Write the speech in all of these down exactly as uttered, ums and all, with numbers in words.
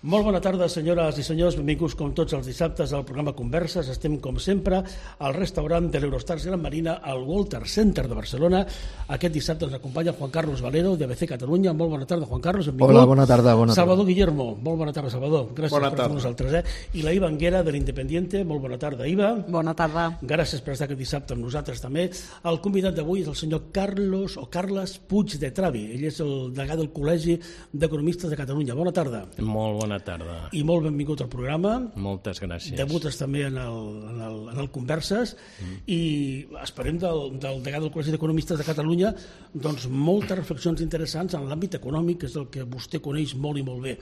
Molt bona tarda, senyores i senyors. Benvinguts com tots els dissabtes al programa Converses. Estem, com sempre, al restaurant de l'Eurostars Gran Marina, al Walter Center de Barcelona. Aquest dissabte ens acompanya Juan Carlos Valero, de A B C Catalunya. Molt bona tarda, Juan Carlos. Benvingut. Hola, bona tarda. Bona tarda. Salvador Guillermo. Molt bona tarda, Salvador. Gràcies bona per estar amb nosaltres. Eh? I la Iva Anguera, de l'Independiente. Molt bona tarda, Iva. Bona tarda. Gràcies per estar aquest dissabte amb nosaltres també. El convidat d'avui és el senyor Carlos o Carles Puig de Travi. Ell és el degà del Col·legi d'Economistes de Catalunya. Bona tarda. Molt bona tarda. I molt benvingut al programa. Moltes gràcies. Debutes també en el, en el, en el Converses mm. i esperem del, del degà del Col·legi d'Economistes de Catalunya doncs moltes reflexions interessants en l'àmbit econòmic, que és el que vostè coneix molt i molt bé.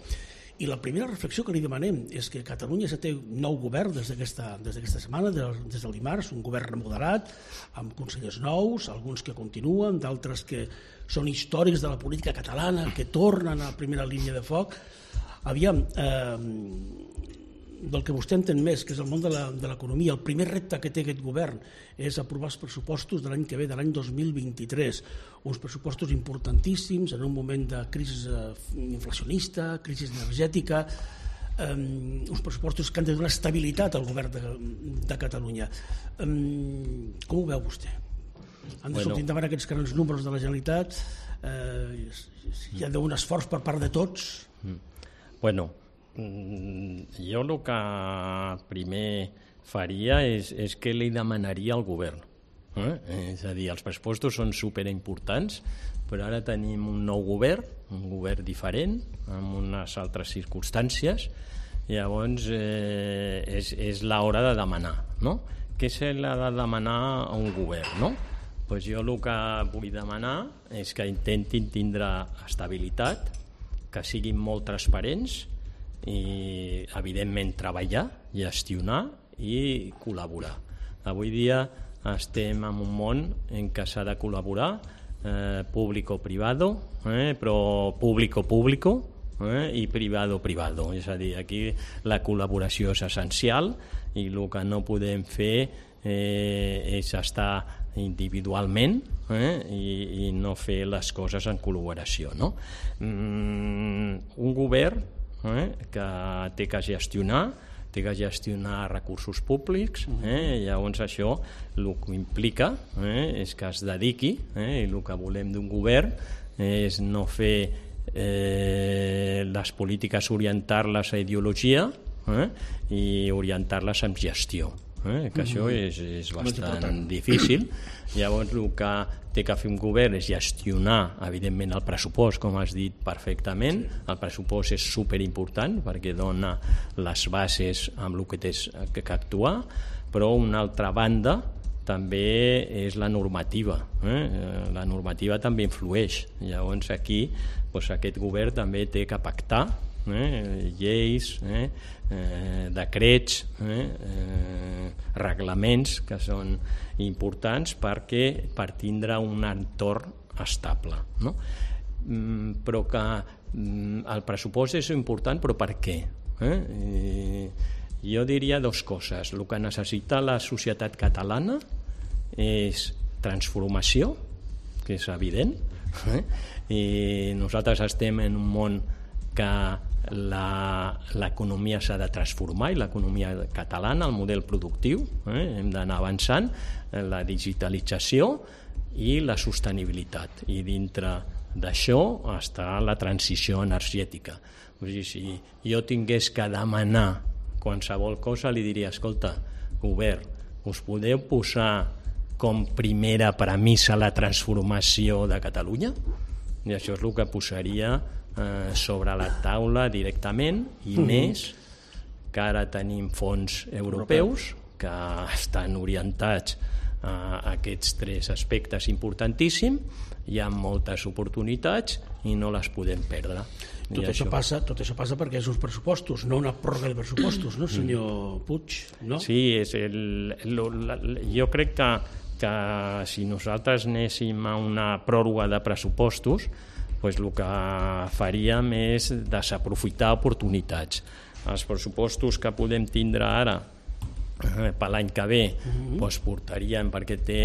I la primera reflexió que li demanem és que Catalunya ja té un nou govern des d'aquesta des d'aquesta setmana, des del dimarts, un govern remodelat, amb consellers nous, alguns que continuen, d'altres que són històrics de la política catalana, que tornen a la primera línia de foc. Aviam, eh, del que vostè entén més, que és el món de l'economia, el primer repte que té aquest govern és aprovar els pressupostos de l'any que ve, de l'any dos mil vint-i-tres. Uns pressupostos importantíssims en un moment de crisi inflacionista, crisi energètica, eh, uns pressupostos que han de donar estabilitat al govern de, de Catalunya. Eh, com ho veu vostè? Han de bueno. sortir endavant aquests grans números de la Generalitat? Eh, hi ha d'un esforç per part de tots? Mm. Bueno, jo el que primer faria és, és que li demanaria al govern. Eh? És a dir, els pressupostos són superimportants, però ara tenim un nou govern, un govern diferent, amb unes altres circumstàncies, i llavors eh, és, és l'hora de demanar, no? Què se l'ha de demanar a un govern, no? Pues jo el que vull demanar és que intentin tindre estabilitat, que siguin molt transparents i, evidentment, treballar, gestionar i col·laborar. Avui dia estem en un món en què s'ha de col·laborar, eh, público-privado, eh, però público-público eh, i privado-privado. És a dir, aquí la col·laboració és essencial i el que no podem fer eh, és estar individualment eh, i, i no fer les coses en col·laboració, no? Mm, un govern eh, que té que gestionar té que gestionar recursos públics, eh, llavors això el que implica eh, és que es dediqui, eh, i el que volem d'un govern és no fer eh, les polítiques, orientar-les a ideologia eh, i orientar-les amb gestió. Eh, que això és, és bastant difícil. Llavors el que té que fer un govern és gestionar, evidentment, el pressupost, com has dit perfectament. El pressupost és superimportant perquè dona les bases amb el que tens que actuar, però una altra banda també és la normativa. Eh? La normativa també influeix. Llavors aquí doncs, aquest govern també té que pactar eh? lleis, eh? Eh, decrets, eh? Eh, reglaments que són importants perquè per tindre un entorn estable, no? Mm, però que mm, el pressupost és important, però per què? Eh? Eh, jo diria dues coses. El que necessita la societat catalana és transformació, que és evident, eh? I nosaltres estem en un món que l'economia s'ha de transformar, i l'economia catalana, el model productiu, eh? hem d'anar avançant, la digitalització i la sostenibilitat, i dintre d'això està la transició energètica. O sigui, si jo tingués que demanar qualsevol cosa, li diria, escolta, govern, us podeu posar com primera premissa la transformació de Catalunya? I això és el que posaria eh, sobre la taula directament, i mm-hmm. més que ara tenim fons europeus que estan orientats a aquests tres aspectes importantíssims. Hi ha moltes oportunitats i no les podem perdre. Tot això, això, passa, tot això passa perquè és uns pressupostos, no una pròrroga de pressupostos, no, senyor Puig? No? Sí, és el, el, la, jo crec que, que si nosaltres anéssim a una pròrroga de pressupostos, pues el que faríem és desaprofitar oportunitats. Els pressupostos que podem tindre ara eh, per l'any que ve uh-huh. pues portarien, perquè té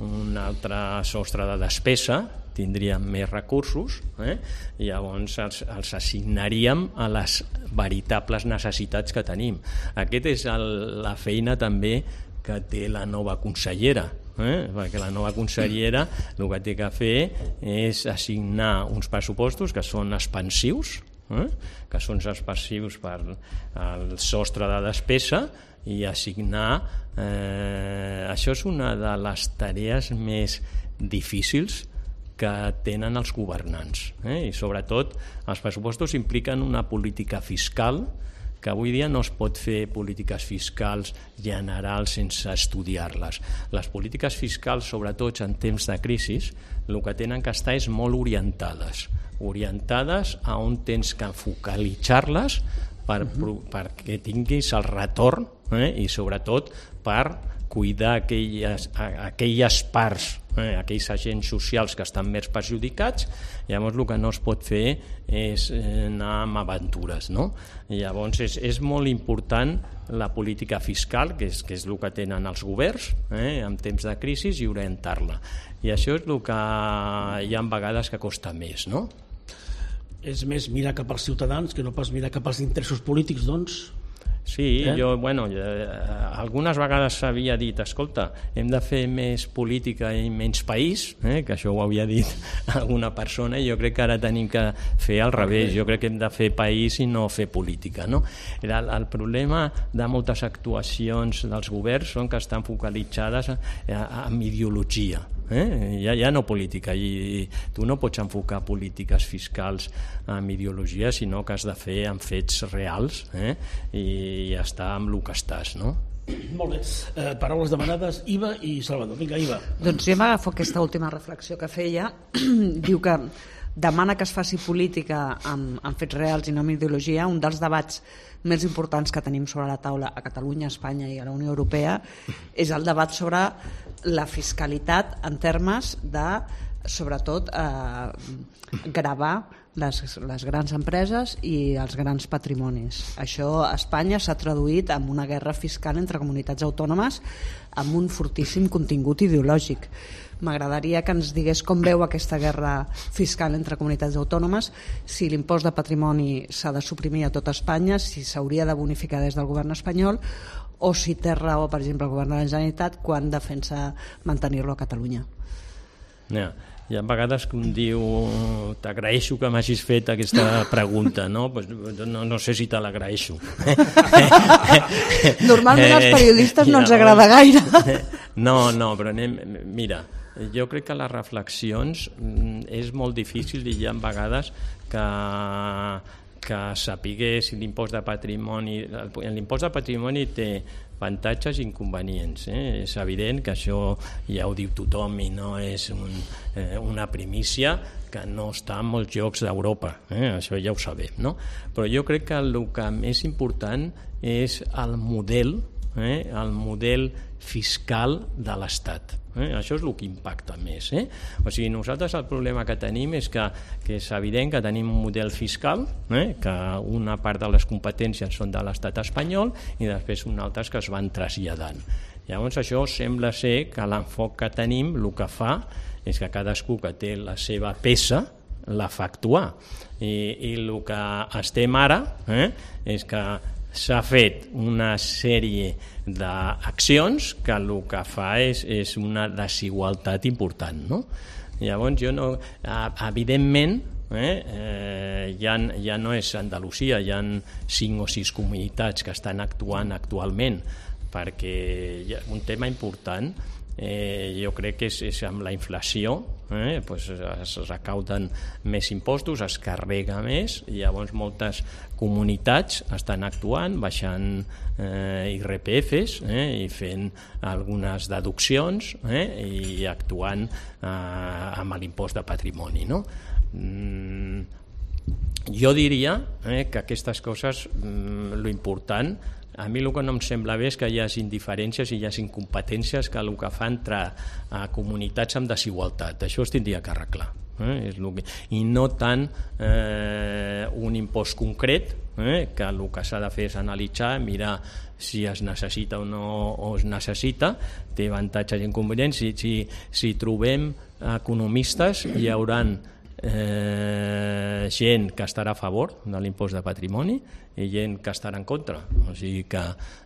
un altre sostre de despesa, tindríem més recursos, eh? i llavors els, els assignaríem a les veritables necessitats que tenim. Aquesta és el, la feina també que té la nova consellera, eh? perquè la nova consellera el que té que fer és assignar uns pressupostos que són expansius, eh? que són expansius per al sostre de despesa, i assignar eh, això és una de les tarees més difícils que tenen els governants, eh? i sobretot els pressupostos impliquen una política fiscal que avui dia no es pot fer polítiques fiscals generals sense estudiar-les. Les polítiques fiscals, sobretot en temps de crisi, el que tenen que estar és molt orientades, orientades a on tens que focalitzar-les per, uh-huh. perquè tinguis el retorn, eh? i sobretot per cuidar aquelles, aquelles parts, eh, aquells agents socials que estan més perjudicats. Llavors el que no es pot fer és anar amb aventures, no? I llavors és, és molt important la política fiscal, que és, que és el que tenen els governs, eh, en temps de crisi, i orientar-la. I això és el que hi ha vegades que costa més, no? És més mirar cap als ciutadans que no pas mirar cap als interessos polítics, doncs? Sí, eh? jo, bueno, eh, algunes vegades s'havia dit, escolta, hem de fer més política i menys país, eh, que això ho havia dit alguna persona, i jo crec que ara tenim que fer al revés, jo crec que hem de fer país i no fer política, no? El, el problema de moltes actuacions dels governs són que estan focalitzades en ideologia, eh? ja, ja no política, i, i tu no pots enfocar polítiques fiscals amb ideologia, sinó que has de fer amb fets reals, eh? i i estar amb el que estàs, no? Molt bé. Eh, paraules demanades, Iva i Salvador. Vinga, Iva. Doncs jo m'agafo aquesta última reflexió que feia. Diu que demana que es faci política amb, amb fets reals i no amb ideologia. Un dels debats més importants que tenim sobre la taula a Catalunya, a Espanya i a la Unió Europea és el debat sobre la fiscalitat en termes de, sobretot, eh, gravar les, les grans empreses i els grans patrimonis. Això a Espanya s'ha traduït en una guerra fiscal entre comunitats autònomes amb un fortíssim contingut ideològic. M'agradaria que ens digués com veu aquesta guerra fiscal entre comunitats autònomes, si l'impost de patrimoni s'ha de suprimir a tot Espanya, si s'hauria de bonificar des del govern espanyol, o si té raó, per exemple, el govern de la Generalitat quan defensa mantenir-lo a Catalunya. Ja. Hi ha vegades que un diu t'agraeixo que m'hagis fet aquesta pregunta, no? Pues no, no sé si te l'agraeixo. Normalment als periodistes no ens agrada gaire. No, no, però anem, mira, jo crec que les reflexions és molt difícil i hi ha vegades que que sapiguer si l'impost de patrimoni... L'impost de patrimoni té avantatges i inconvenients. Eh? És evident que això ja ho diu tothom i no és un, eh, una primícia que no està en molts llocs d'Europa. Eh? Això ja ho sabem, no? Però jo crec que el que més important és el model, eh? el model fiscal de l'Estat. Eh? Això és el que impacta més. Eh? O sigui, nosaltres el problema que tenim és que, que és evident que tenim un model fiscal, eh? que una part de les competències són de l'estat espanyol i després un altres que es van traslladant. Llavors això sembla ser que l'enfoc que tenim el que fa és que cadascú que té la seva peça la fa actuar. I, i el que estem ara eh? és que s'ha fet una sèrie d'accions que el que fa és, és una desigualtat important, no? Llavors jo no... Evidentment, eh, eh, ja, ja no és Andalusia, hi ha cinc o sis comunitats que estan actuant actualment, perquè hi ha un tema important, eh, jo crec que és, és amb la inflació, eh, pues es recauden més impostos, es carrega més, i llavors moltes comunitats estan actuant, baixant eh, I R P Fs eh, i fent algunes deduccions eh, i actuant eh, amb l'impost de patrimoni, no? Mm, jo diria eh, que aquestes coses, mm, lo important, a mi el que no em sembla bé és que hi hagi indiferències i hi hagi incompetències que el que fa entrar a comunitats amb desigualtat. Això es tindria que arreglar. Eh? És lo que... I no tant eh, un impost concret, eh? que el que s'ha de fer és analitzar, mirar si es necessita o no o es necessita, té avantatges i inconvenients. Si, si, si trobem economistes hi hauran eh, gent que estarà a favor de l'impost de patrimoni i gent que estarà en contra. O sigui que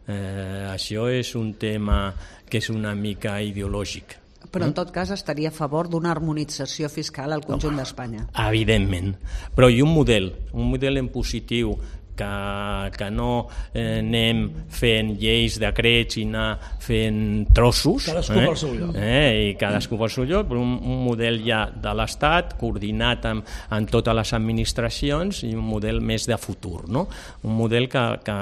eh, això és un tema que és una mica ideològic. Però en tot cas estaria a favor d'una harmonització fiscal al conjunt d'Espanya. Evidentment, però i un model, un model en positiu, que, que no eh, anem fent lleis, decrets i anar fent trossos, cadascú eh? pel seu lloc, eh? i cadascú pel seu lloc, però un, un model ja de l'Estat coordinat amb, amb totes les administracions i un model més de futur, no? Un model que, que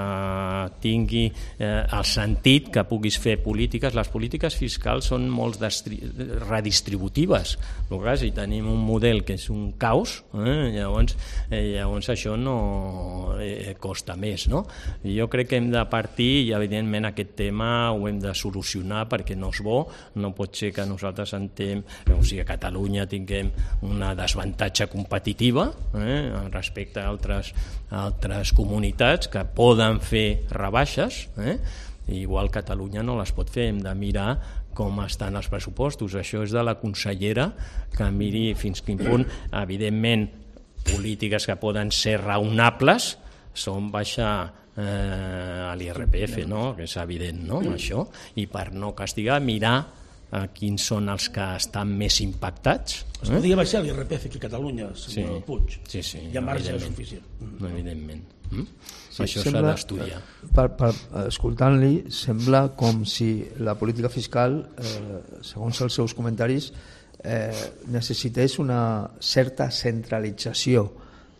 tingui eh, el sentit que puguis fer polítiques. Les polítiques fiscals són molt redistributives, però clar, si tenim un model que és un caos, eh? llavors, eh, llavors això no eh, costa més, no? I jo crec que hem de partir i evidentment aquest tema ho hem de solucionar perquè no és bo, no pot ser que nosaltres entenem, o sigui, a Catalunya tinguem una desavantatge competitiva eh, respecte a altres, a altres comunitats que poden fer rebaixes, eh? Igual Catalunya no les pot fer, hem de mirar com estan els pressupostos. Això és de la consellera que miri fins quin punt, evidentment, polítiques que poden ser raonables són baixar eh, a l'I R P F, no? Que és evident, no? Això, i per no castigar, mirar eh, quins són els que estan més impactats. Es eh? podria baixar l'I R P F aquí a Catalunya, senyor sí. Puig. Sí, sí, hi ha marge suficient. Evidentment. Mm? Sí, això s'ha d'estudiar. Per, per, escoltant-li, sembla com si la política fiscal, eh, segons els seus comentaris, eh, necessités una certa centralització,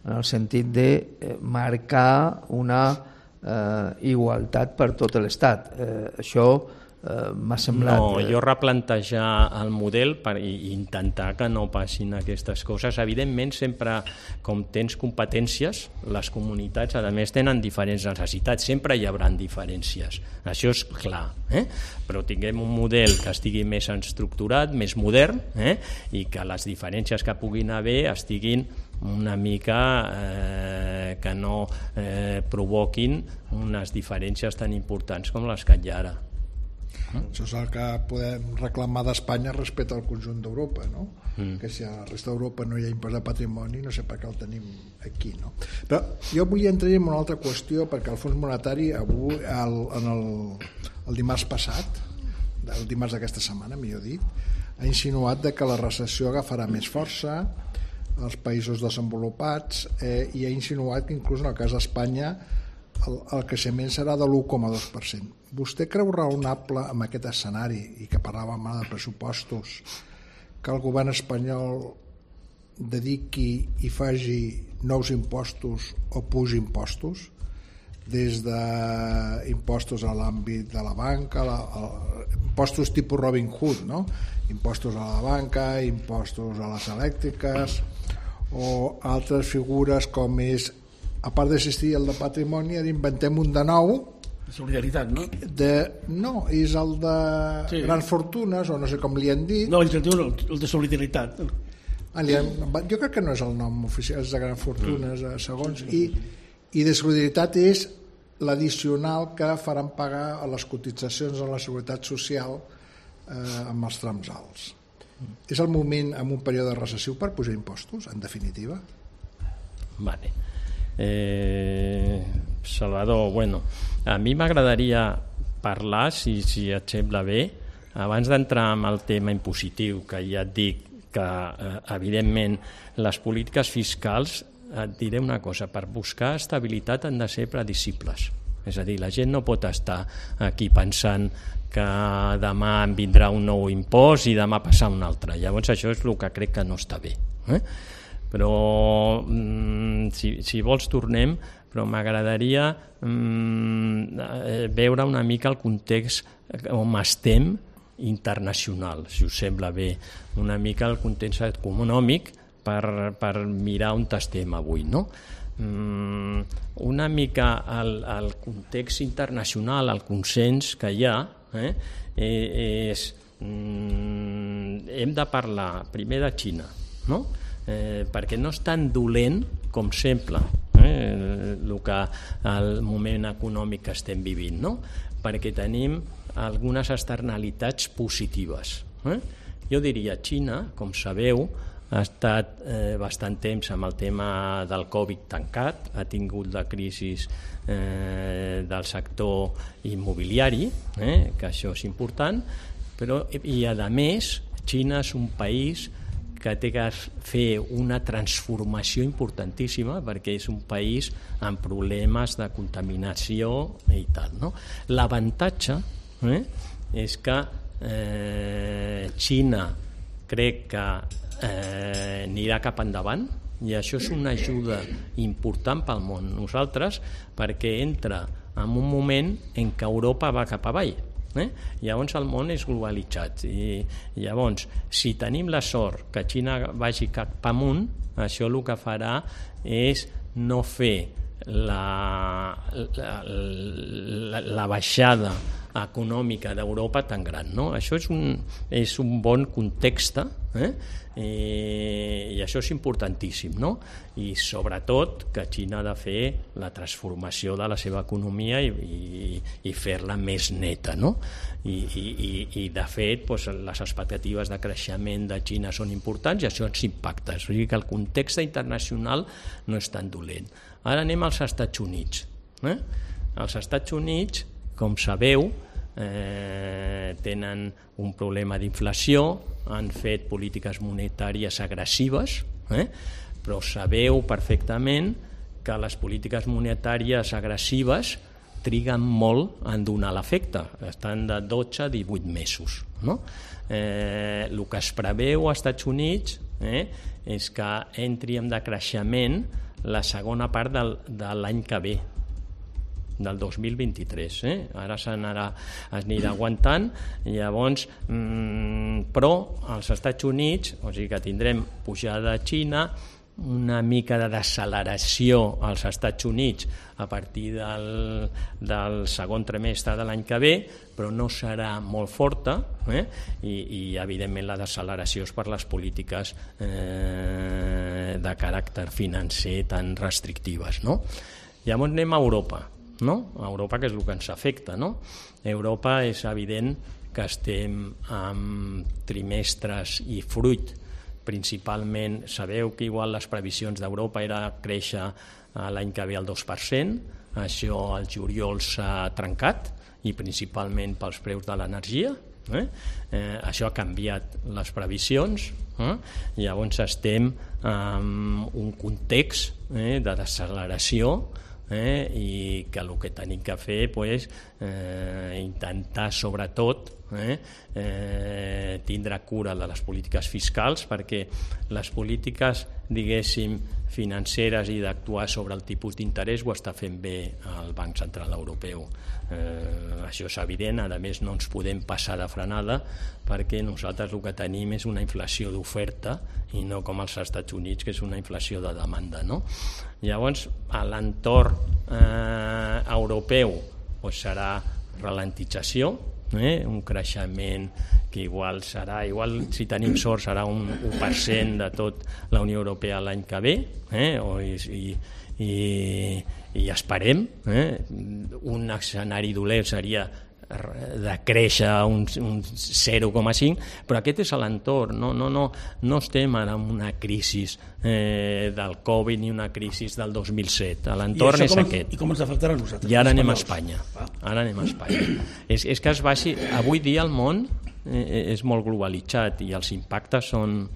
en el sentit de eh, marcar una eh, igualtat per tot l'Estat. Eh, això eh, m'ha semblat... No, jo replantejar el model per intentar que no passin aquestes coses. Evidentment, sempre, com tens competències, les comunitats, a més, tenen diferents necessitats. Sempre hi haurà diferències. Això és clar. Eh? Però tinguem un model que estigui més estructurat, més modern, eh? i que les diferències que puguin haver estiguin una mica eh, que no eh, provoquin unes diferències tan importants com les que hi ha ara. Això és el que podem reclamar d'Espanya respecte al conjunt d'Europa, no? Mm. Que si a la resta d'Europa no hi ha impost de patrimoni, no sé per què el tenim aquí, no? Però jo vull entrar en una altra qüestió, perquè el Fons Monetari avui, el, en el, el dimarts passat, el dimarts d'aquesta setmana, millor dit, ha insinuat de que la recessió agafarà més força als països desenvolupats eh, i ha insinuat que inclús en el cas d'Espanya el, el creixement serà de l'u coma dos per cent. Vostè creu raonable amb aquest escenari, i que parlàvem ara de pressupostos, que el govern espanyol dediqui i faci nous impostos o pugi impostos, des d'impostos a l'àmbit de la banca, la, a, impostos tipus Robin Hood, no? Impostos a la banca, impostos a les elèctriques o altres figures com és, a part d'assistir al de patrimoni, inventem un de nou, solidaritat, no? De, no, és el de sí. grans fortunes, o no sé com li han dit. No, ells diuen el, el de solidaritat. Ah, han, jo crec que no és el nom oficial, és de grans fortunes, mm. segons, i, i de solidaritat és l'addicional que faran pagar a les cotitzacions a la Seguretat Social eh, amb els trams alts. Mm. És el moment, en un període recessiu, per pujar impostos, en definitiva? Vale. Eh, Salvador, bueno, a mi m'agradaria parlar, si, si et sembla bé, abans d'entrar en el tema impositiu, que ja et dic que, eh, evidentment, les polítiques fiscals, et diré una cosa, per buscar estabilitat han de ser predicibles. És a dir, la gent no pot estar aquí pensant que demà em vindrà un nou impost i demà passar un altre. Llavors això és el que crec que no està bé. Eh? Però mm, si, si vols tornem, però m'agradaria mm, veure una mica el context on estem internacional, si us sembla bé, una mica el context econòmic per, per mirar on estem avui, no? Mm, una mica el, el context internacional, el consens que hi ha, eh, és mm, hem de parlar primer de Xina, no? Eh, perquè no és tan dolent com sembla eh, el, que, el moment econòmic que estem vivint, no? Perquè tenim algunes externalitats positives, eh? Jo diria, Xina, com sabeu, ha estat eh, bastant temps amb el tema del Covid tancat, ha tingut la crisi eh, del sector immobiliari, eh, que això és important, però, i a més, Xina és un país que té que fer una transformació importantíssima perquè és un país amb problemes de contaminació i tal, no? L'avantatge eh, és que eh, Xina crec que eh, anirà cap endavant i això és una ajuda important pel món. Nosaltres, perquè entra en un moment en què Europa va cap avall. Eh? Llavors el món és globalitzat i llavors si tenim la sort que Xina vagi cap amunt, això el que farà és no fer la, la, la, la baixada econòmica d'Europa tan gran, no? Això és un, és un bon context, eh? I, i això és importantíssim, no? I sobretot que Xina ha de fer la transformació de la seva economia i, i, i fer-la més neta, no? I, i, i de fet doncs, les expectatives de creixement de Xina són importants i això ens impacta, o sigui que el context internacional no és tan dolent. Ara anem als Estats Units. Eh? Els Estats Units, com sabeu, eh, tenen un problema d'inflació, han fet polítiques monetàries agressives, eh? Però sabeu perfectament que les polítiques monetàries agressives triguen molt en donar l'efecte, estan de dotze a divuit mesos. No? Eh, el que es preveu als Estats Units eh, és que entri en decreixement la segona part del, de l'any que ve, del dos mil vint-i-tres. Eh? Ara s'anirà aguantant, llavors, mmm, però als Estats Units, o sigui que tindrem pujada a Xina, una mica de deceleració als Estats Units a partir del, del segon trimestre de l'any que ve, però no serà molt forta, eh? I, i evidentment la deceleració és per les polítiques eh, de caràcter financer tan restrictives, no? Llavors anem a Europa, no? A Europa, que és el que ens afecta, no? Europa és evident que estem amb trimestres i fruit. Principalment, sabeu que igual les previsions d'Europa era créixer l'any que ve al dos per cent, això al juliol s'ha trencat i principalment pels preus de l'energia, eh? Eh, això ha canviat les previsions, eh? Llavors estem en un context eh, de deceleració eh, i que el que tenim que fer pues, eh, intentar sobretot eh, eh, tindre cura de les polítiques fiscals perquè les polítiques diguéssim financeres i d'actuar sobre el tipus d'interès ho està fent bé el Banc Central Europeu. Eh, això és evident, a més no ens podem passar de frenada perquè nosaltres el que tenim és una inflació d'oferta i no com als Estats Units que és una inflació de demanda, no? Llavors a l'entorn eh, europeu doncs serà ralentització, eh? Un creixement que igual serà, igual si tenim sort serà un u per cent de tot la Unió Europea l'any que ve, eh? o, i, i, i esperem, eh? Un escenari dolent seria de créixer un, un zero coma cinc, però aquest és l'entorn, no, no, no, no estem ara en una crisi eh, del Covid ni una crisi del dos mil set, l'entorn és com, aquest. I com ens afectarà a nosaltres? I ara anem a Espanya. Ara anem a Espanya. és, és que es baixi, avui dia el món eh, és molt globalitzat i els impactes són...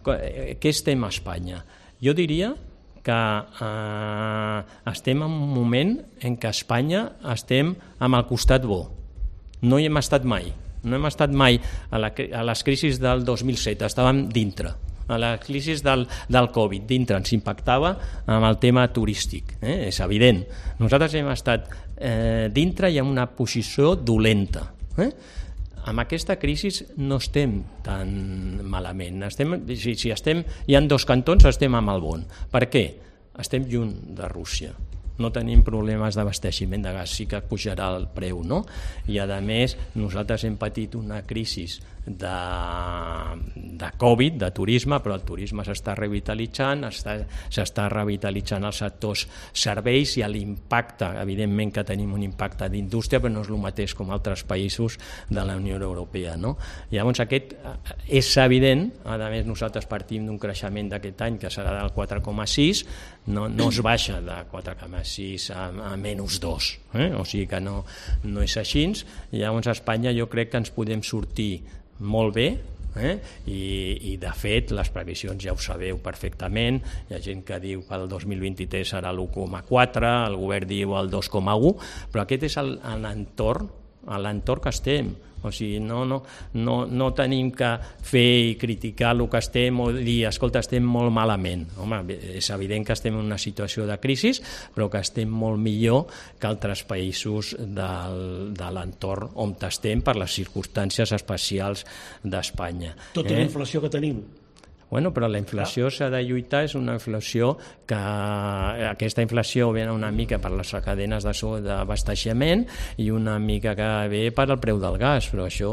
Què estem a Espanya? Jo diria que eh, estem en un moment en què a Espanya estem amb el costat bo. No hi hem estat mai, no hem estat mai a, la, a les crisis del dos mil set, estàvem dintre, a la crisi del, del Covid, dintre, ens impactava amb el tema turístic, eh? És evident. Nosaltres hem estat eh, dintre i en una posició dolenta. Eh? Amb aquesta crisi no estem tan malament, estem, si, si estem, hi ha dos cantons, estem amb el bon. Per què? Estem lluny de Rússia. No tenim problemes d'abasteixement de gas, sí que pujarà el preu, no? I a més nosaltres hem patit una crisi de, de Covid, de turisme, però el turisme s'està revitalitzant, està, s'està revitalitzant els sectors serveis i l'impacte, evidentment que tenim un impacte d'indústria, però no és el mateix com altres països de la Unió Europea, no? Llavors aquest és evident, a més nosaltres partim d'un creixement d'aquest any que serà del quatre coma sis, no, no es baixa de quatre coma sis a, a menys dos, eh? O sigui que no, no és així. Llavors a Espanya jo crec que ens podem sortir molt bé, eh? I, i de fet les previsions ja ho sabeu perfectament, hi ha gent que diu que el dos mil vint-i-tres serà l'u coma quatre, el govern diu el dos coma u, però aquest és l'entorn a l'entorn que estem, o sigui, no, no, no, no tenim que fer i criticar el que estem o dir, escolta, estem molt malament. Home, és evident que estem en una situació de crisi, però que estem molt millor que altres països del, de l'entorn on estem per les circumstàncies especials d'Espanya. Tota eh? la inflació que tenim. Bueno, però la inflació s'ha de lluitar, és una inflació que aquesta inflació ve una mica per les cadenes d'abasteixement i una mica que ve per al preu del gas, però això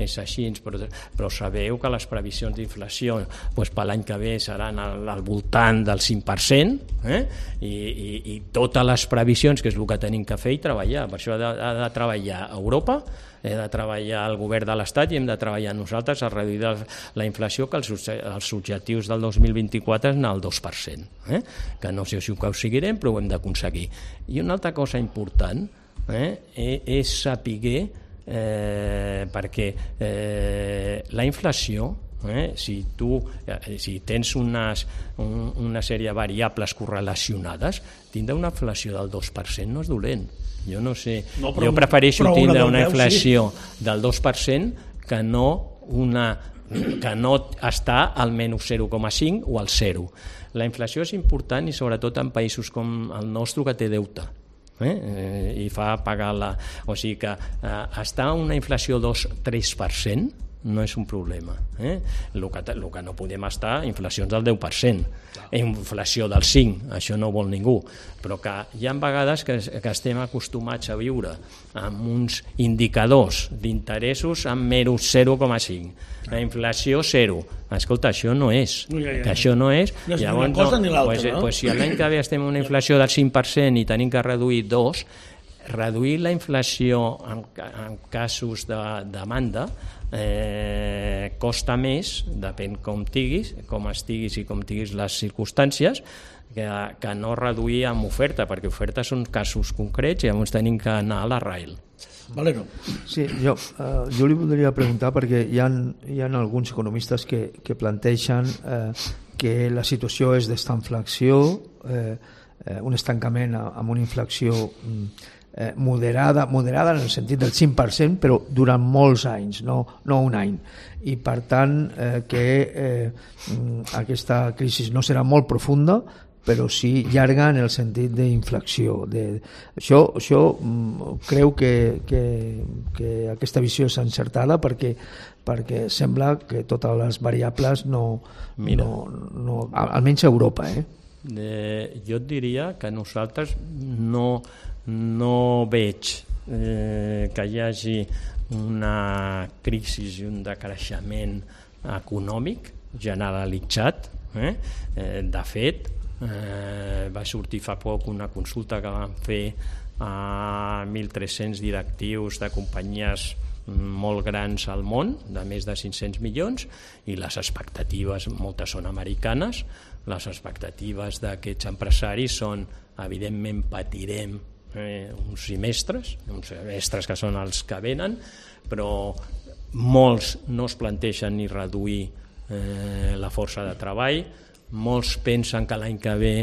és així, però, però sabeu que les previsions d'inflació doncs per l'any que ve seran al, al voltant del cinc per cent, eh? I, i, i totes les previsions, que és el que tenim que fer i treballar, per això ha de, ha de treballar a Europa, he de treballar el govern de l'Estat i hem de treballar nosaltres a reduir la, la inflació, que els, els objectius del dos mil vint-i-quatre és anar al dos per cent, eh? Que no sé si ho aconseguirem, però ho hem d'aconseguir. I una altra cosa important eh, és saber, eh, perquè eh, la inflació, Eh, si tu eh, si tens unes, un, una sèrie de variables correlacionades, tindre una inflació del dos per cent no és dolent. Jo no sé, no, però, jo prefereixo tindre una, una inflació sí. del dos per cent que no una que no està al menys zero coma cinc o al zero. La inflació és important i sobretot en països com el nostre que té deute. Eh? Eh, i fa pagar la... O sigui que eh, estar a una inflació dos a tres per cent no és un problema. Eh? El que, el que no podem estar, inflacions del deu per cent, inflació del cinc, això no vol ningú, però que hi ha vegades que, que estem acostumats a viure amb uns indicadors d'interessos amb menys zero coma cinc, la inflació zero. Escolta, això no és, que això no és, no és llavors, ni una cosa ni l'altra, pues, no? Pues, si l'any que ve estem en una inflació del cinc per cent i tenim que reduir dos, reduir la inflació en, en casos de demanda eh, costa més, depèn com estiguis, com estiguis i com estiguis les circumstàncies, que, que no reduir amb oferta, perquè oferta són casos concrets i llavors tenim que anar a l'arrel. Valero. Sí, jo, eh, jo li voldria preguntar, perquè hi ha, hi ha alguns economistes que, que planteixen eh, que la situació és d'estanflació, eh, eh, un estancament amb una inflació eh, moderada, moderada en el sentit del cinc per cent, però durant molts anys, no, no un any. I per tant eh, que eh, aquesta crisi no serà molt profunda, però sí llarga en el sentit d'inflació. De... Això, això creu que, que, que aquesta visió és encertada perquè, perquè sembla que totes les variables no... Mira, no, no almenys a Europa, eh? Eh, jo et diria que nosaltres no, no veig eh, que hi hagi una crisi i un decreixement econòmic generalitzat. Eh? Eh, de fet, eh, va sortir fa poc una consulta que van fer a mil tres-cents directius de companyies molt grans al món, de més de cinc-cents milions, i les expectatives, moltes són americanes, les expectatives d'aquests empresaris són, evidentment patirem eh, uns semestres, uns semestres que són els que venen, però molts no es plantegen ni reduir eh, la força de treball, molts pensen que l'any que ve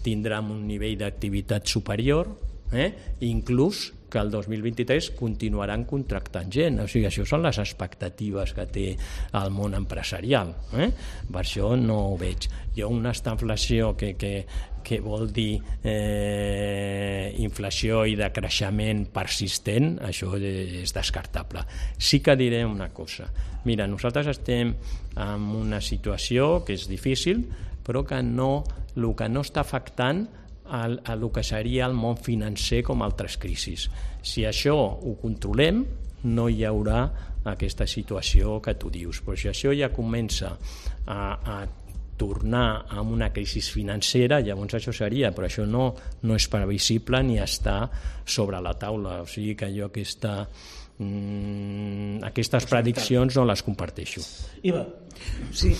tindrem un nivell d'activitat superior, eh? inclús que el dos mil vint-i-tres continuaran contractant gent. O sigui, això són les expectatives que té el món empresarial. Eh? Per això no ho veig. Jo una estanflació que, que, que vol dir eh, inflació i de creixement persistent, això és descartable. Sí que diré una cosa. Mira, nosaltres estem en una situació que és difícil, però que no, el que no està afectant a el que seria el món financer com altres crisis. Si això ho controlem, no hi haurà aquesta situació que tu dius. Però si això ja comença a, a tornar a una crisi financera, llavors això seria, però això no, no és previsible ni està sobre la taula. O sigui que jo aquesta, mm, aquestes prediccions no les comparteixo. Iva. Sí.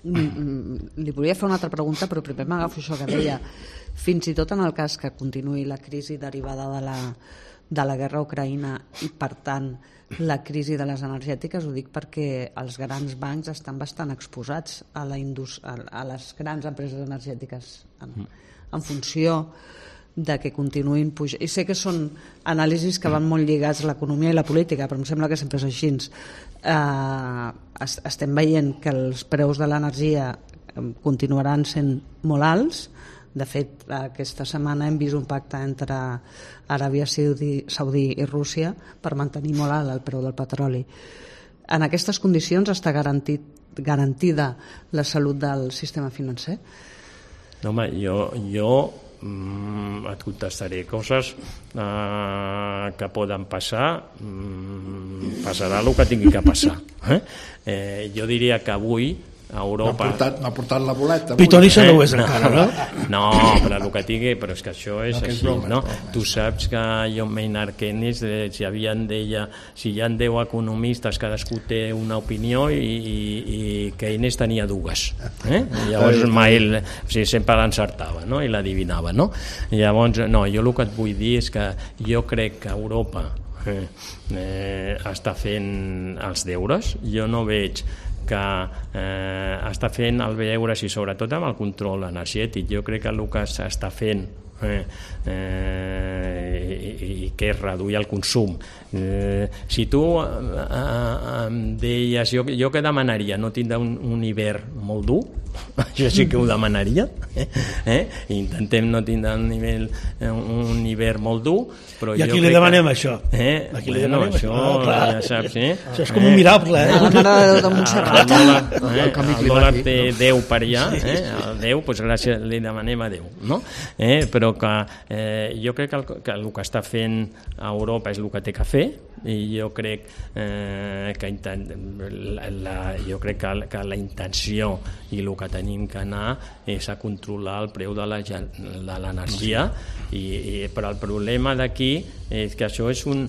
Li volia fer una altra pregunta, però primer m'agafo això que deia. Fins i tot en el cas que continuï la crisi derivada de la, de la guerra a Ucraïna i, per tant, la crisi de les energètiques, ho dic perquè els grans bancs estan bastant exposats a, la indus- a les grans empreses energètiques en, en funció de que continuïn pujant. I sé que són anàlisis que van molt lligats a l'economia i la política, però em sembla que sempre és així. Eh, estem veient que els preus de l'energia continuaran sent molt alts. De fet, aquesta setmana hem vist un pacte entre Aràbia Saudí, Saudí i Rússia per mantenir molt alt el preu del petroli. En aquestes condicions està garantit, garantida la salut del sistema financer? No, home, jo, jo mm, et contestaré coses eh, que poden passar. Mm, passarà el que tingui que passar. Eh? Eh, jo diria que avui a Europa... No ha portat, no ha portat la boleta. Pitonissa no ho és encara, no? No, però el que tingui, però és que això és no, així, és broma, no? broma. Tu saps que John Maynard Keynes, eh, si havien deia, si hi ha deu economistes, cadascú té una opinió i, i, i Keynes tenia dues. Eh? Llavors mai, o sigui, sempre l'encertava, no? I l'adivinava, no? Llavors, no, jo el que et vull dir és que jo crec que Europa eh, eh, està fent els deures. Jo no veig que eh, està fent el deures i sobretot amb el control energètic. Jo crec que el que s'està fent eh, eh, i, i que és reduir el consum. Eh, si tu eh, eh, em deies, jo, jo què demanaria? No tindre un, un hivern molt dur? Això sí que ho demanaria. Eh? Eh? Intentem no tindre un, nivell, un hivern molt dur, però i aquí jo li demanem que... això. Eh? Aquí Bueno, li demanem això, això. Ah, ja saps, eh? Això és com un miracle, eh? La Mare de Déu de Montserrat. El dòlar, eh? El canvi el dòlar climàtic, té no? Déu per allà, eh? El Déu, doncs gràcies, li demanem a Déu, no? Eh? Però que eh, jo crec que el, que el que està fent a Europa és el que té que fer, i jo crec eh, que intent, la, la, jo crec que, que la intenció i el que tenim que anar és a controlar el preu de la, de l'energia, i, i, però el problema d'aquí és que això és un...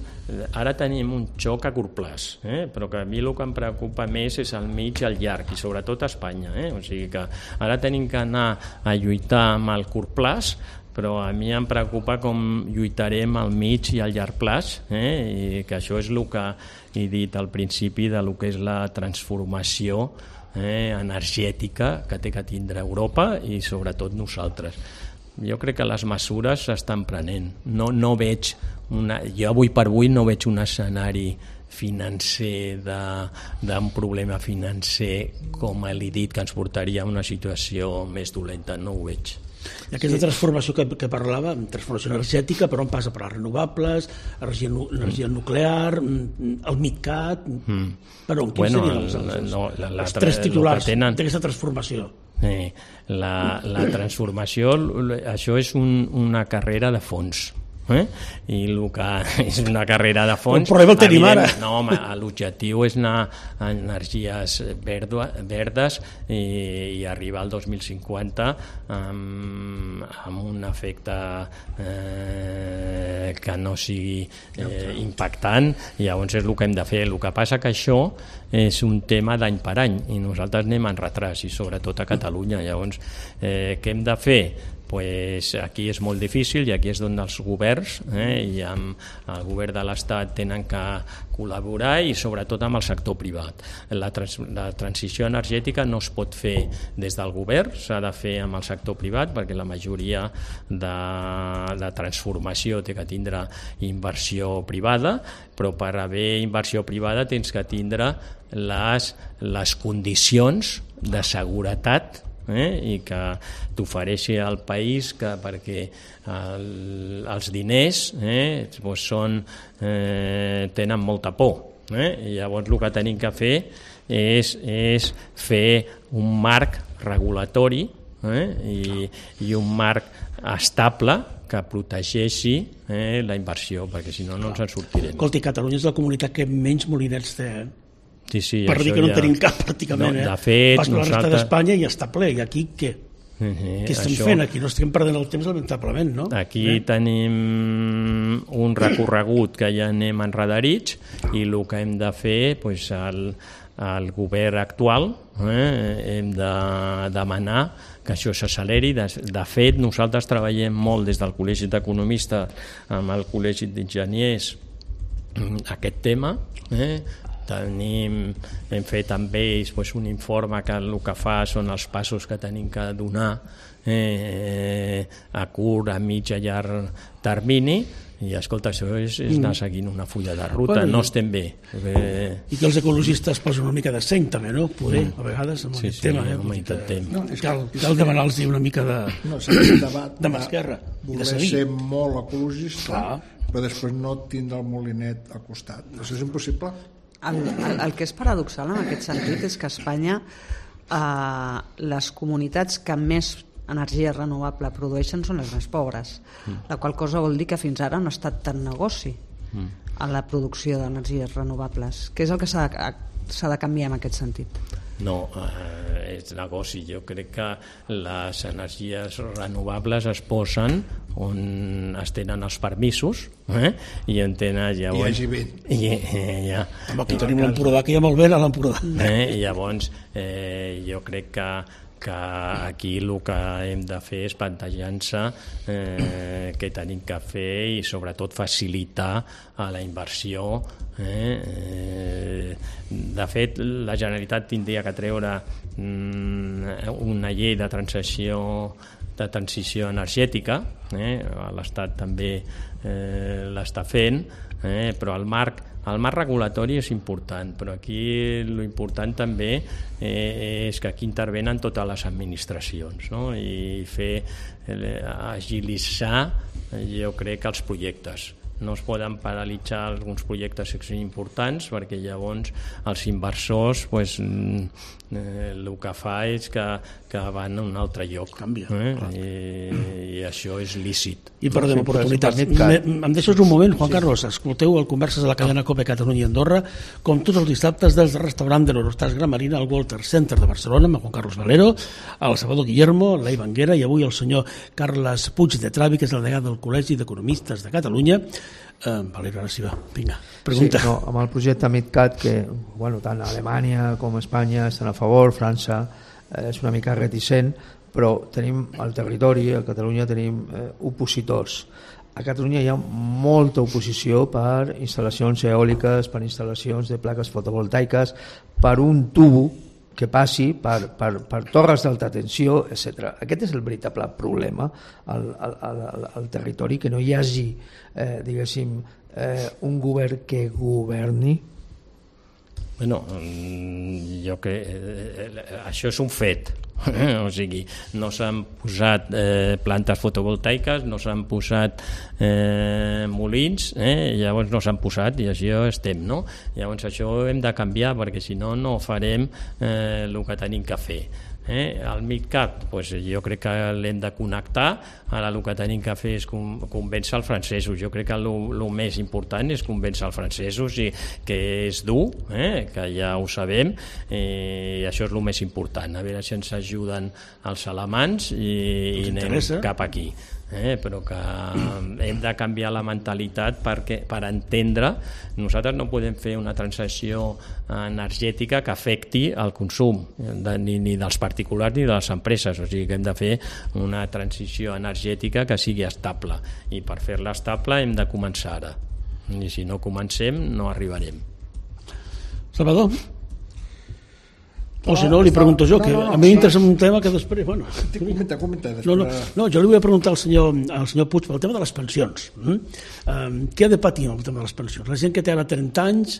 Ara tenim un xoc a curt plaç, eh? Però que a mi el que em preocupa més és el mig i el llarg, i sobretot a Espanya, eh? O sigui que ara tenim que anar a lluitar amb el curt plaç, però a mi em preocupa com lluitarem al mig i al llarg plaç, eh? I que això és el que he dit al principi de lo que és la transformació eh, energètica que té que tindre Europa i sobretot nosaltres. Jo crec que les mesures s'estan prenent. No, no veig una, jo avui per avui no veig un escenari financer d'un problema financer com l'he dit que ens portaria a una situació més dolenta, no ho veig. I aquesta transformació que, que parlava, transformació energètica, però on passa per les renovables, energia, energia nuclear, el MidCat, mm. però on bueno, serien els, els, no, la, la, els tres titulars tenen... d'aquesta transformació? Eh, la, la transformació, això és un, una carrera de fons. Eh? I el que és una carrera de fons, però el tenim ara. No, home, l'objectiu és anar a energies verdo, verdes i, i arribar al dos mil cinquanta amb, amb un efecte eh, que no sigui eh, impactant, i llavors és el que hem de fer. El que passa que això és un tema d'any per any i nosaltres anem en retras, i sobretot a Catalunya. Llavors, eh, què hem de fer? Pues aquí és molt difícil, i aquí és on els governs eh, i amb el govern de l'Estat tenen que col·laborar, i sobretot amb el sector privat. La, trans, la transició energètica no es pot fer des del govern, s'ha de fer amb el sector privat, perquè la majoria de, de transformació té que tindre inversió privada, però per haver inversió privada tens que tindre les, les condicions de seguretat Eh, i que t'ofereixi al país que, perquè el, els diners eh, doncs són, eh, tenen molta por, eh, i llavors el que tenim que fer és, és fer un marc regulatori eh, i, i un marc estable que protegeixi eh, la inversió, perquè si no no ens en sortirem. Escolti, Catalunya és la comunitat que menys molinets té, eh? Sí, sí, per dir que no en ja... tenim cap pràcticament, no, eh? De fet, Pas per la resta nosaltres... d'Espanya i ja està ple, i aquí què? Uh -huh, què estem això... fent aquí? No estem perdent el temps lamentablement, no? Aquí eh? tenim un recorregut que ja anem enredarits i el que hem de fer, pues, el, el govern actual, eh, hem de demanar que això s'acceleri. De, de fet, nosaltres treballem molt des del Col·legi d'Economistes amb el Col·legi d'Enginyers aquest tema, eh? Tenim, hem fet amb ells pues, un informe que el que fa són els passos que tenim que donar eh, a curt, a mig, a llarg termini, i escolta, això és, és anar seguint una fulla de ruta, bueno, no estem bé. Perquè... I que els ecologistes posen una mica de seny també, no? Poder, mm. a vegades, amb sí, aquest sí, tema. Eh? home, intentem. No, cal, cal demanar-los una mica de, no, aquest debat de mà esquerra. Voler ser molt ecologista, clar, però després no tindre el molinet al costat. Això és impossible. El, el, el que és paradoxal en aquest sentit és que a Espanya eh, les comunitats que més energia renovable produeixen són les més pobres, mm. la qual cosa vol dir que fins ara no ha estat tan negoci mm. en la producció d'energies renovables. Què és el que s'ha de, s'ha de canviar en aquest sentit? No, eh, és negoci. Jo crec que les energies renovables es posen on es tenen els permisos eh? I en tenen llavors... I hi hagi vent. I, eh, ja. Home, aquí tenim l'Empordà, que hi ha molt vent a l'Empordà. Eh? I llavors eh, jo crec que que aquí el que hem de fer és plantejar-se eh, què tenim que fer i sobretot facilitar a la inversió. Eh? Eh, de fet, la Generalitat tindria que treure mm, una llei de transició de transició energètica, eh? l'Estat també eh, l'està fent, eh? però el marc El marc regulatori és important, però aquí l'important també eh, és que aquí intervenen totes les administracions, no? I fer eh, agilitzar, jo crec, els projectes. No es poden paralitzar alguns projectes que són importants perquè llavors els inversors pues, eh, el que fa és que, que van a un altre lloc. Canvia. Eh? I, I això és lícit. I perdem oportunitats. Em deixes un moment, Juan Carlos, escolteu el Converses de la cadena COPE Catalunya i Andorra, com tots els dissabtes des del restaurant de l'Eurostars Gran Marina al Walter Center de Barcelona, amb Juan Carlos Valero, el Salvador Guillermo, l'Ei Banguera i avui el senyor Carles Puig de Travi, que és el degà del Col·legi d'Economistes de Catalunya. Eh, Valero, ara sí va, vinga, pregunta. Sí, no, amb el projecte MidCat, que bueno, tant Alemanya com Espanya estan a favor, França eh, és una mica reticent, però tenim al territori, a Catalunya tenim eh, opositors. A Catalunya hi ha molta oposició per instal·lacions eòliques, per instal·lacions de plaques fotovoltaiques, per un tubo que passi per, per, per torres d'alta tensió, etcètera. Aquest és el veritable problema al, al, al, al territori, que no hi hagi eh, diguéssim, eh, un govern que governi. Bueno, jo que eh, això és un fet. O sigui, no s'han posat eh, plantes fotovoltaiques, no s'han posat eh, molins, eh, llavors no s'han posat i això estem, no? Llavors això ho hem de canviar perquè si no no farem eh, el que tenim que fer. Eh? El MidCat, pues, jo crec que l'hem de connectar. Ara el que tenim que fer és convèncer els francesos. Jo crec que el més important és convèncer els francesos i que és dur, eh? Que ja ho sabem, i això és el més important. A veure si ens ajuden els alemans i, i anem cap aquí. Eh, però que hem de canviar la mentalitat perquè, per entendre, nosaltres no podem fer una transició energètica que afecti el consum de, ni, ni dels particulars ni de les empreses, o sigui que hem de fer una transició energètica que sigui estable, i per fer-la estable hem de començar ara, i si no comencem no arribarem. Salvador? O si no, li pregunto jo, que no, no, no, a mi m'interessa un tema que després... Bueno, comenta, comenta. No, no, no, jo li vull preguntar al senyor, al senyor Puig pel tema de les pensions. Mm? Um, què ha de patir el tema de les pensions? La gent que té ara trenta anys,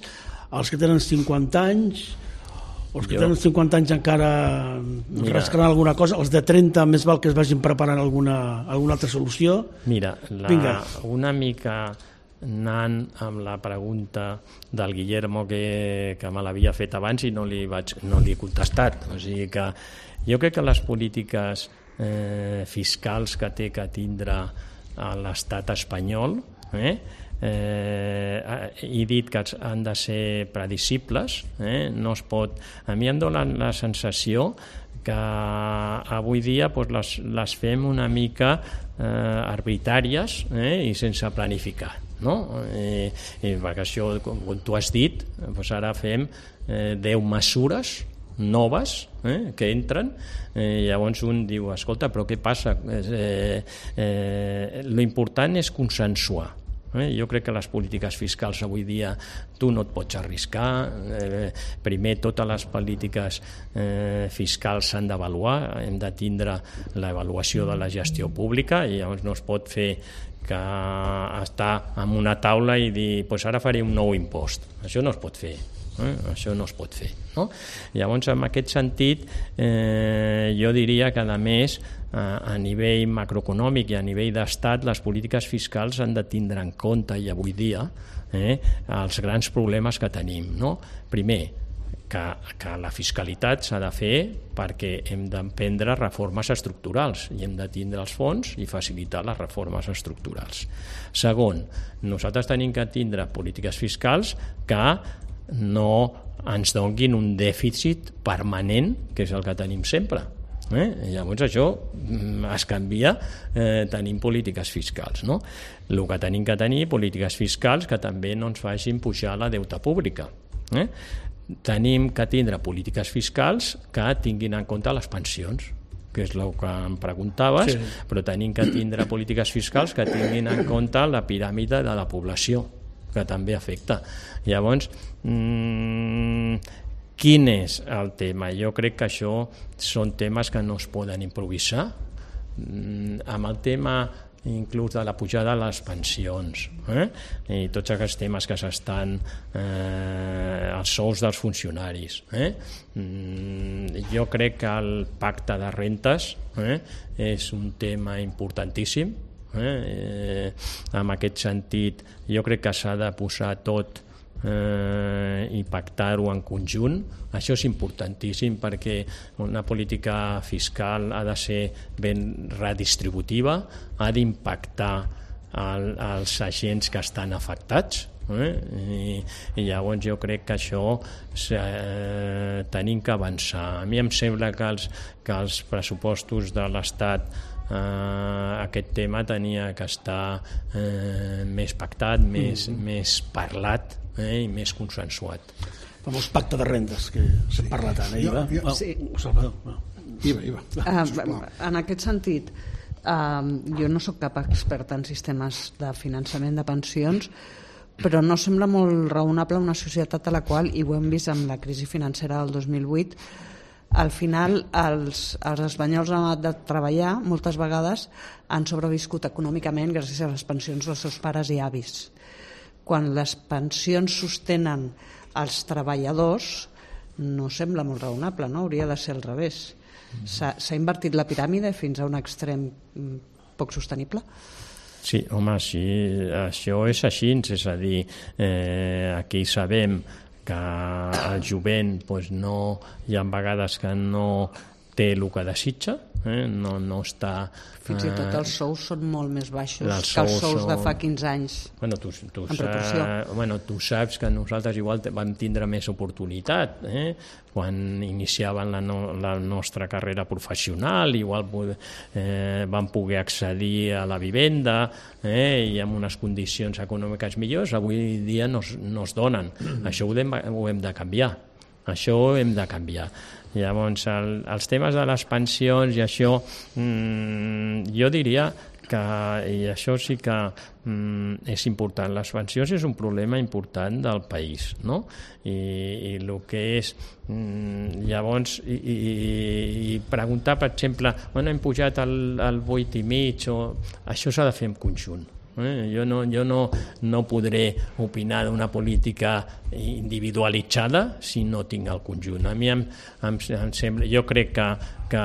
els que tenen cinquanta anys, els que jo... tenen cinquanta anys encara rascaran alguna cosa, els de trenta més val que es vagin preparant alguna, alguna altra solució. Mira, la, una mica... anant amb la pregunta del Guillermo que, que me l'havia fet abans i no li, vaig, no li he contestat. O sigui que jo crec que les polítiques eh, fiscals que té que tindre a l'estat espanyol, eh? Eh, he dit que han de ser predicibles, eh? No es pot... A mi em dona la sensació que avui dia pues, les, les fem una mica eh, arbitràries eh? I sense planificar, no? Eh, eh, perquè això, com, com tu has dit, pues ara fem eh, deu mesures noves eh, que entren, eh, llavors un diu, escolta, però què passa? Eh, eh, lo important és consensuar. Eh? Jo crec que les polítiques fiscals avui dia tu no et pots arriscar, eh, primer totes les polítiques eh, fiscals s'han d'avaluar, hem de tindre l'avaluació de la gestió pública i llavors no es pot fer que estar en una taula i dir pues ara faré un nou impost, això no es pot fer. Eh? Això no es pot fer, no? Llavors, en aquest sentit, eh, jo diria que, a més, a nivell macroeconòmic i a nivell d'estat, les polítiques fiscals han de tindre en compte, i avui dia, eh, els grans problemes que tenim, no? Primer, que, que la fiscalitat s'ha de fer perquè hem d'emprendre reformes estructurals i hem de tindre els fons i facilitar les reformes estructurals. Segon, nosaltres tenim que tindre polítiques fiscals que no ens donguin un dèficit permanent, que és el que tenim sempre. Eh? Llavors això es canvia eh, tenim polítiques fiscals, no? El que tenim que tenir polítiques fiscals que també no ens facin pujar la deuta pública, eh? Tenim que tindre polítiques fiscals que tinguin en compte les pensions, que és el que em preguntaves, sí. Però tenim que tindre polítiques fiscals que tinguin en compte la piràmide de la població, que també afecta. Llavors, mmm, quin és el tema? Jo crec que això són temes que no es poden improvisar. Mm, amb el tema inclús de la pujada de les pensions, eh? I tots aquests temes que s'estan eh, els sous dels funcionaris, eh? Mm, jo crec que el pacte de rentes eh, és un tema importantíssim. Eh? Eh, en aquest sentit, jo crec que s'ha de posar tot Eh, i pactar-ho en conjunt. Això és importantíssim perquè una política fiscal ha de ser ben redistributiva, ha d'impactar el, els agents que estan afectats, eh? I, i llavors jo crec que això eh, tenim que avançar. A mi em sembla que els, que els pressupostos de l'Estat Uh, aquest tema tenia que estar uh, més pactat, més, mm. més parlat eh, i més consensuat. El famós pacte de rendes que s'ha sí. parlat ara. Jo, jo, oh, sí. Salvador. Oh. Iva, Iva. Uh, en aquest sentit, uh, jo no sóc cap experta en sistemes de finançament de pensions, però no sembla molt raonable una societat a la qual, i ho hem vist amb la crisi financera del dos mil vuit, al final els, els espanyols han anat de treballar, moltes vegades han sobreviscut econòmicament gràcies a les pensions dels seus pares i avis. Quan les pensions sostenen els treballadors no sembla molt raonable, no? Hauria de ser al revés. S'ha, s'ha invertit la piràmide fins a un extrem poc sostenible? Sí, home, sí, això és així, és a dir, eh, aquí sabem que el jovent doncs, no, hi ha vegades que no té el que desitja, eh? no, no està... Fins i tot els sous són molt més baixos els que els sous són... de fa quinze anys. Bueno, tu, tu, en proporció. Sa... Bueno, tu saps que nosaltres igual vam tindre més oportunitat, eh? Quan iniciaven la, no, la nostra carrera professional, igual eh, vam poder accedir a la vivenda eh? I amb unes condicions econòmiques millors, avui dia no, no es donen. Mm. Això ho hem, ho hem de canviar. Això ho hem de canviar. Llavors, el, els temes de les pensions i això, mmm, jo diria que, i això sí que mm, és important, les pensions és un problema important del país, no? I, i el que és, mm, llavors, i, i, i preguntar, per exemple, bueno, hem pujat al, al vuit i mig, o... això s'ha de fer en conjunt. Eh? Jo, no, jo no, no podré opinar d'una política individualitzada si no tinc el conjunt. A mi em, em, em sembla, jo crec que, que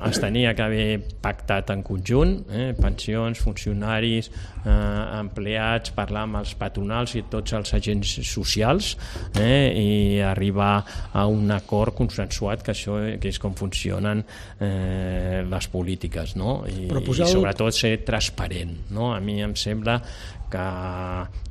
es tenia que haver pactat en conjunt, eh? pensions, funcionaris, eh, empleats, parlar amb els patronals i tots els agents socials, eh? i arribar a un acord consensuat, que això que és com funcionen eh, les polítiques, no? I, i sobretot ser transparent, no? A mi em sembla que,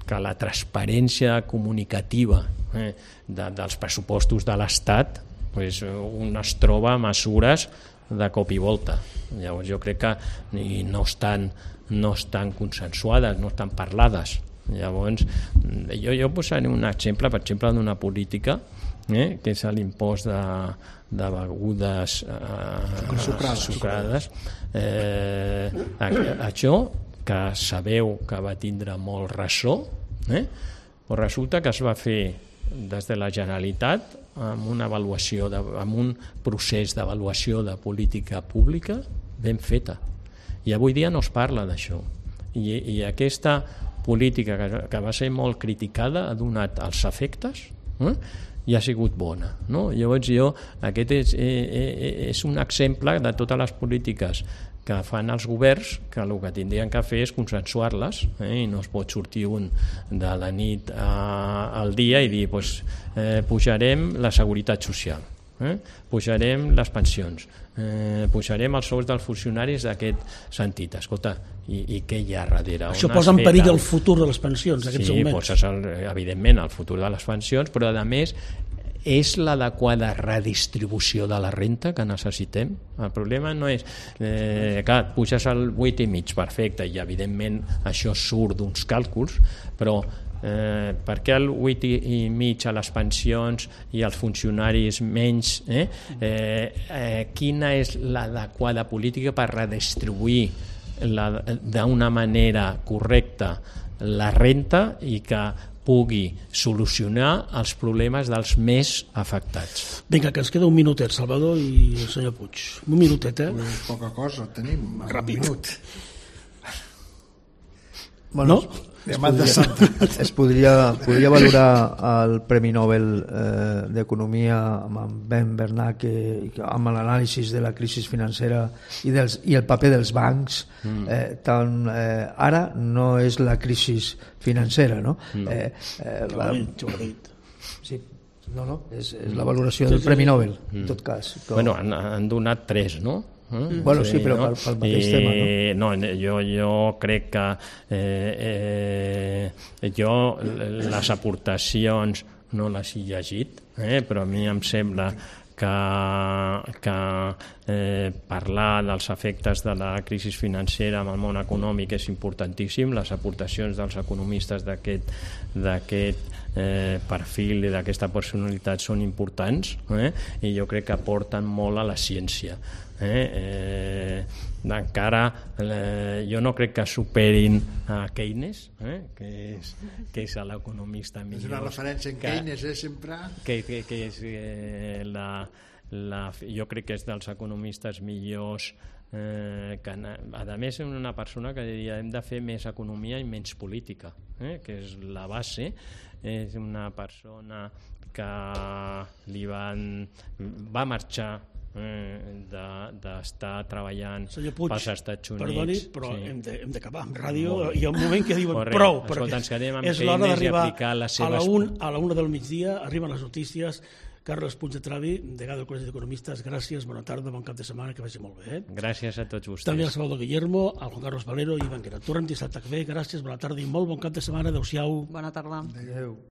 que la transparència comunicativa eh, de, dels pressupostos de l'Estat, pues, un es troba mesures de cop i volta. Llavors jo crec que no estan, no estan consensuades, no estan parlades. Llavors jo, jo posaré un exemple, per exemple, d'una política eh, que és l'impost de, de begudes eh, sucrades, sucrades. Eh, això que sabeu que va tindre molt ressò, eh? Però resulta que es va fer des de la Generalitat amb una avaluació, de, amb un procés d'avaluació de política pública ben feta. I avui dia no es parla d'això. I, i aquesta política que, que va ser molt criticada ha donat els efectes eh? i ha sigut bona. No? Llavors jo, aquest és, eh, és un exemple de totes les polítiques que fan els governs, que el que tindrien que fer és consensuar-les, eh? i no es pot sortir un de la nit a, al dia i dir pues, eh, pujarem la seguretat social, eh? pujarem les pensions, eh, pujarem els sous dels funcionaris d'aquest sentit. Escolta, i, i què hi ha darrere? Això posa en perill el futur de les pensions, aquests sí, augments. poses el, evidentment el futur de les pensions, però a més és l'adequada redistribució de la renta que necessitem? El problema no és eh, clar, puges al vuit i mig, perfecte, i evidentment això surt d'uns càlculs, però eh, per què el vuit i mig a les pensions i als funcionaris menys? Eh? Eh, eh, quina és l'adequada política per redistribuir d'una manera correcta la renta i que pugui solucionar els problemes dels més afectats. Vinga, que ens queda un minutet, Salvador i el senyor Puig. Un minutet, eh? Pues poca cosa tenim, ràpid. Un minut. Bueno, no? Demanda santa. Es podria, podria valorar el Premi Nobel eh, d'Economia amb Ben Bernanke, amb l'anàlisi de la crisi financera i, dels, i el paper dels bancs. Mm. Eh, tant, eh, ara no és la crisi financera, no? no. Eh, eh, la, sí, no, no, és, és la valoració del Premi Nobel, en tot cas. Com... Bueno, han, han donat tres, no? Mm. Bueno, sí, però no? pel, pel mateix I, tema, no? No, jo, jo crec que eh, eh, jo les aportacions no les he llegit, eh, però a mi em sembla que, que eh, parlar dels efectes de la crisi financera amb el món econòmic és importantíssim. Les aportacions dels economistes d'aquest d'aquest eh, perfil i d'aquesta personalitat són importants, eh, i jo crec que aporten molt a la ciència. Eh, eh, encara eh, jo no crec que superin a Keynes, eh, que és, que és l'economista millor. És una referència en que, Keynes, eh, sempre. Que, que, que és eh, la, la, jo crec que és dels economistes millors, eh, que a més és una persona que diria hem de fer més economia i menys política, eh, que és la base. És una persona que li van, va marxar d'estar de, treballant Puig, pels Estats Units. Perdoni, però sí. hem, de, hem d'acabar amb ràdio. Hi ha un moment que diuen Correcte. prou, Escolta, perquè és l'hora d'arribar a, seves... a la un, a la una del migdia, arriben les notícies. Carles Puig de Travi, degà del Col·legi d'Economistes, gràcies, bona tarda, bon cap de setmana, que vagi molt bé. Eh? Gràcies a tots vostès. També al Salvador Guillermo, al Juan Carlos Valero i Ivan Guerra. Tornem dissabte que ve, gràcies, bona tarda i molt bon cap de setmana, adeu-siau. Bona tarda. Adéu.